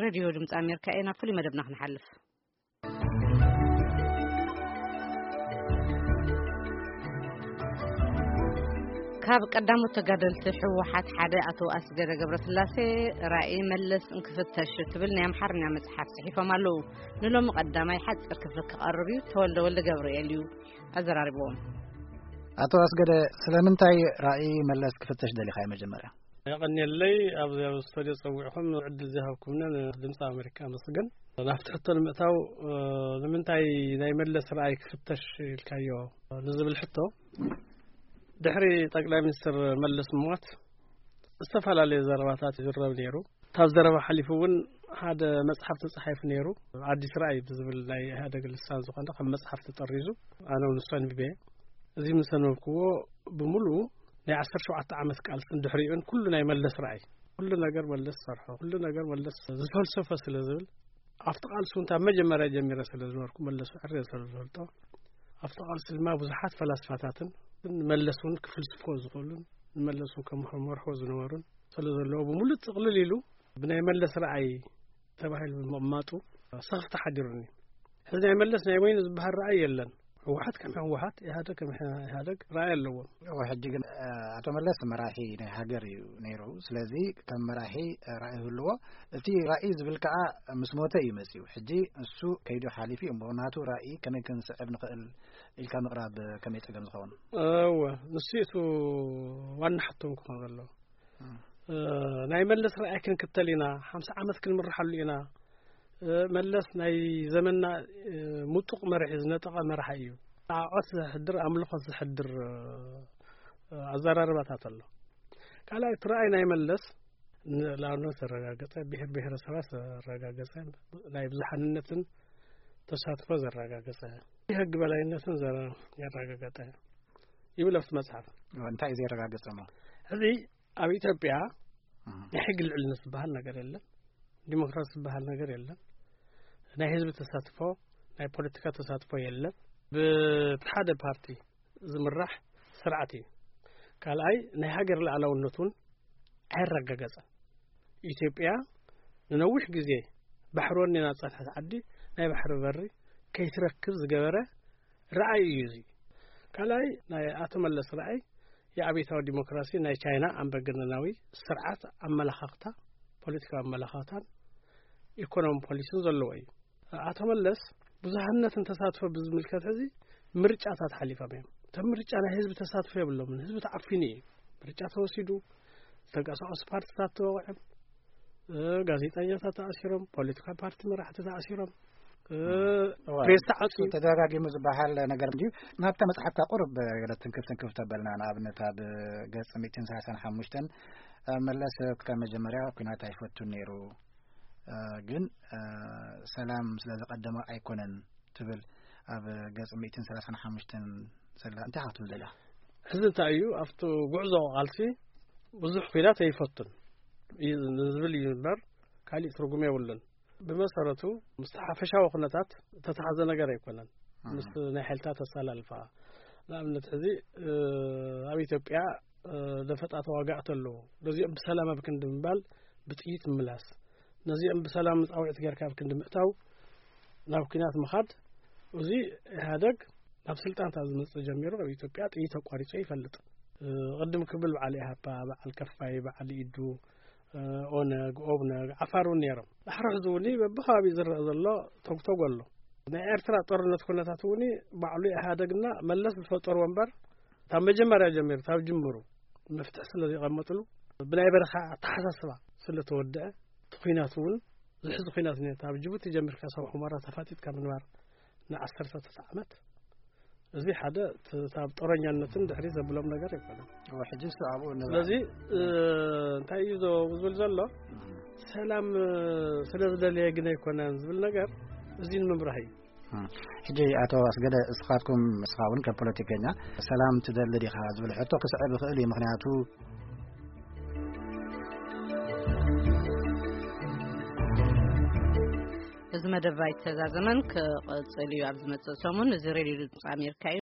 ሬድዮ ድምፂ ኣሜሪካ እየ። ናብ ፍሉይ መደብና ክንሓልፍ። ካብ ቀዳሞት ተጋደልቲ ህወሓት ሓደ ኣቶ ኣስገደ ገብረስላሴ ራእይ መለስ እንክፍተሽ ትብል ናይ ኣምሓርኛ መጽሓፍ ጽሒፎም ኣለዉ። ንሎሚ ቀዳማይ ሓጺር ክፍሊ ክቐርብ እዩ። ተወልደ ወልደ ገብርኤል እዩ ኣዘራሪብዎም። ኣቶ ኣስገደ፣ ስለምንታይ ራእይ መለስ ክፍተሽ ደሊኻ? መጀመርያ የቐንየለይ፣ ኣብዚ ኣብ ስቱድዮ ጸዊዕኹም ዕድል ዝሃብኩምንን ድምፂ ኣሜሪካ ኣመስግን። ናብቲ ሕቶ ንምእታው፣ እ፣ ንምንታይ ናይ መለስ ራእይ ክፍተሽ ኢልካዮ ንዝብል ሕቶ፣ ድሕሪ ጠቅላይ ሚኒስትር መለስ ሞት ዝተፈላለዩ ዘረባታት ይዝረብ ነይሩ። ካብ ዘረባ ሓሊፉ እውን ሓደ መጽሓፍ ተጻሒፉ ነይሩ። ኣዲስ ራእይ ብዝብል ናይ ኢህኣደግ ልሳን ዝኾነ ከም መጽሓፍ ተጠሪዙ፣ ኣነ እውን ንሱ ኣንቢበ። እዚ ምስ ኣንበብክዎ፣ ብምሉኡ ናይ ዓሰርተ ሸውዓተ ዓመት ቃልስን ድሕሪኡን ኩሉ ናይ መለስ ራእይ፣ ኩሉ ነገር መለስ ዝሰርሖ፣ ኩሉ ነገር መለስ ዝፈልሰፈ ስለ ዝብል፣ ኣብቲ ቃልሲ እውን ካብ መጀመርያ ጀሚረ ስለ ዝነበርኩ፣ መለስ ዕረ ስለ ዝፈልጦ፣ ኣብቲ ቃልሲ ድማ ብዙሓት ፈላስፋታትን መለስ እውን ክፍልስፍዎ ዝኽእሉን ንመለስ እውን ከም መርሖ ዝነበሩን ስለ ዘለዎ፣ ብምሉእ ጥቕልል ኢሉ ብናይ መለስ ራእይ ተባሂሉ ብምቕማጡ ስኽፍታ ሓዲሩኒ። ሕዚ ናይ መለስ ናይ በይኑ ዝበሃል ራእይ የለን። ህወሓት ከም ህወሓት፣ ኢህኣደግ ከም ኢህኣደግ ራእይ ኣለዎም። እወ፣ ሕጂ ግን፣ እ፣ ኣቶ መለስ መራሒ ናይ ሃገር እዩ ነይሩ። ስለዚ ከም መራሒ፣ እ፣ ራእይ ይህልዎ። እቲ ራእይ ዝብል ከኣ ምስ ሞተ እዩ መጺኡ። ሕጂ እሱ ከይዱ ሓሊፉ እዩ እሞ፣ ናቱ ራእይ ከመይ ክንስዕብ ንኽእል ኢልካ ምቕራብ ከመይ ጸገም ዝኸውን? እወ፣ ንሱ እዩ እቲ ዋና ሕቶም ክኾን ዘለዎ። እ፣ ናይ መለስ ራእይ ክንክተል ኢና፣ ሓምሳ ዓመት ክንምርሓሉ ኢና። እ፣ መለስ ናይ ዘመንና፣ እ፣ ምጡቕ መራሒ፣ ዝነጠቐ መራሒ እዩ። ኣዖት ዘሕድር፣ ኣምልኾት ዘሕድር፣ እ፣ ኣዘራርባታት ኣሎ። ካልኣይ፣ እቲ ራእይ ናይ መለስ ንልኣልነት ዘረጋገጸ፣ ብሔር ብሔረሰባት ዘረጋገጸ፣ ናይ ብዙሓንነትን ተሳትፎ ዘረጋገጸ፣ የሕጊ በላይነትን ዘረ-፣ ያረጋገጠ ይብል ኣብቲ መጽሓፍ። እንታይ እዩ ዘረጋገጸ እሞ? ሕዚ ኣብ ኢትዮጵያ እም። ናይ ሕጊ ልዕልነት ዝበሃል ነገር የለን። ዲሞክራሲ ዝበሃል ነገር የለን። ናይ ህዝቢ ተሳትፎ፣ ናይ ፖለቲካ ተሳትፎ የለን። ብቲ ሓደ ፓርቲ ዝምራሕ ስርዓት እዩ። ካልኣይ፣ ናይ ሃገር ሉዓላውነት እውን ኣይረጋገጸን። ኢትዮጵያ ንነዊሕ ግዜ ባሕሪ ወኒና ዝጸንሐት ዓዲ ናይ ባሕሪ በሪ ከይትረክብ ዝገበረ ራእይ እዩ እዚ። ካልኣይ፣ ናይ ኣቶ መለስ ራእይ የኣብዮታዊ ዲሞክራሲ ናይ ቻይና ኣምባገነናዊ ስርዓት ኣመላኻኽታ፣ ፖለቲካዊ ኣመላኻኽታን ኢኮኖሚ ፖሊሲን ዘለዎ እዩ። ኣቶ መለስ ብዙሃነትን ተሳትፎ ብዝምልከት ሕዚ ምርጫታት ሓሊፎም እዮም። እቶም ምርጫ ናይ ህዝቢ ተሳትፎ የብሎምን። ህዝቢ ተዓፊኑ እዩ። ምርጫ ተወሲዱ፣ ዝተንቀሳቐሱ ፓርቲታት ተወቒዖም፣ እ፣ ጋዜጠኛታት ተኣሲሮም፣ ፖለቲካ ፓርቲ መራሕቲ ተኣሲሮም፣ እ፣ እዋ፣ ፕሬስ ተዓፅዩ። ተደጋጊሙ ዝበሃል ነገር እንድዩ። ናብታ መጽሓፍካ ቁሩብ ገለ ትንክፍ ትንክፍ ተበልና፣ ንኣብነት ኣብ ገጽ ሚእትን ሰላሳን ሓሙሽተን፣ እ፣ መለስ ካብ መጀመርያ ኲናት ኣይፈቱን ነይሩ፣ እ፣ ግን፣ እ፣ ሰላም ስለ ዝቐደመ ኣይኮነን ትብል ኣብ ገጽ ሚእትን ሰላሳን ሓሙሽተን ዘላ። እንታይ ኢኻ ክትብል ደሊኻ? ሕዚ እንታይ እዩ፣ ኣብቲ ጉዕዞ ቃልሲ ብዙሕ ኲናት ኣይፈቱን እዩ ንዝብል እዩ እምበር፣ ካሊእ ትርጉም የብሉን። ብመሰረቱ፣ ምስ ሓፈሻዊ ኩነታት ዝተተሓዘ ነገር ኣይኮነን። እም። ምስ ናይ ሓይልታት ኣሰላልፋ። ንኣብነት፣ ሕዚ፣ እ፣ ኣብ ኢትዮጵያ፣ እ፣ ደፈጣ ተዋጋእቲ ኣለዉ። ነዚኦም ብሰላም ኣብ ክንዲ ምባል፣ ብጥይት ምምላስ። ነዚኦም ብሰላም ጻውዒት ጌርካ ኣብ ክንዲ ምእታው፣ ናብ ኲናት ምኻድ። እዚ ኢህኣደግ ናብ ስልጣን ካብ ዝመጽእ ጀሚሩ ኣብ ኢትዮጵያ ጥይት ኣቋሪጹ ይፈልጥ። እ፣ ቅድም ክብል በዓል ኢሃፓ፣ በዓል ከፋይ፣ በዓል ኢዱ፣ እ፣ ኦነግ፣ ኦብነግ፣ ዓፋር እውን ነይሮም። ዳሕሪ ሕዚ እውን በብኸባቢኡ ዝረአ ዘሎ ተግተጎ ኣሎ። ናይ ኤርትራ ጦርነት ኩነታት እውን ባዕሉ ኢህኣደግና መለስ ዝፈጠርዎ እምበር፣ ካብ መጀመርያ ጀሚሩ፣ ካብ ጅምሩ መፍትሒ ስለ ዘይቐመጥሉ፣ ብናይ በረኻ ኣተሓሳስባ ስለ ተወደአ፣ እቲ ኲናት እውን ዝሕዚ ኲናት ነይሩ። ካብ ጅቡቲ ጀሚርካ ሳብ ሑመራ ተፋጢጥካ ምንባር ንዓሰርተታት ዓመት፣ እዚ ሓደ ት-፣ ካብ ጦረኛነትን ድሕሪ ዘብሎም ነገር ኣይኮነን። እወ፣ ሕጂ እሱ ኣብኡ ንብረት። ስለዚ፣ እ፣ እንታይ እዩ ዞ-፣ ዝብል ዘሎ? እም። ሰላም፣ እ፣ ስለ ዝደለየ ግን ኣይኮነን ዝብል ነገር፣ እዚ ንምብራህ እዩ። እም። ሕጂ ኣቶ ኣስገደ፣ እስኻትኩም፣ እስኻ እውን ከም ፖለቲከኛ ሰላም ትደሊ ዲኻ ዝብል ሕቶ ክስዕብ ይኽእል እዩ። ምኽንያቱ፣ እዚ መደብ ኣይተዛዘመን፣ ክቕጽል እዩ ኣብ ዝመጽእ ሰሙን። እዚ ሬድዮ ድምፂ ኣሜሪካ እዩ።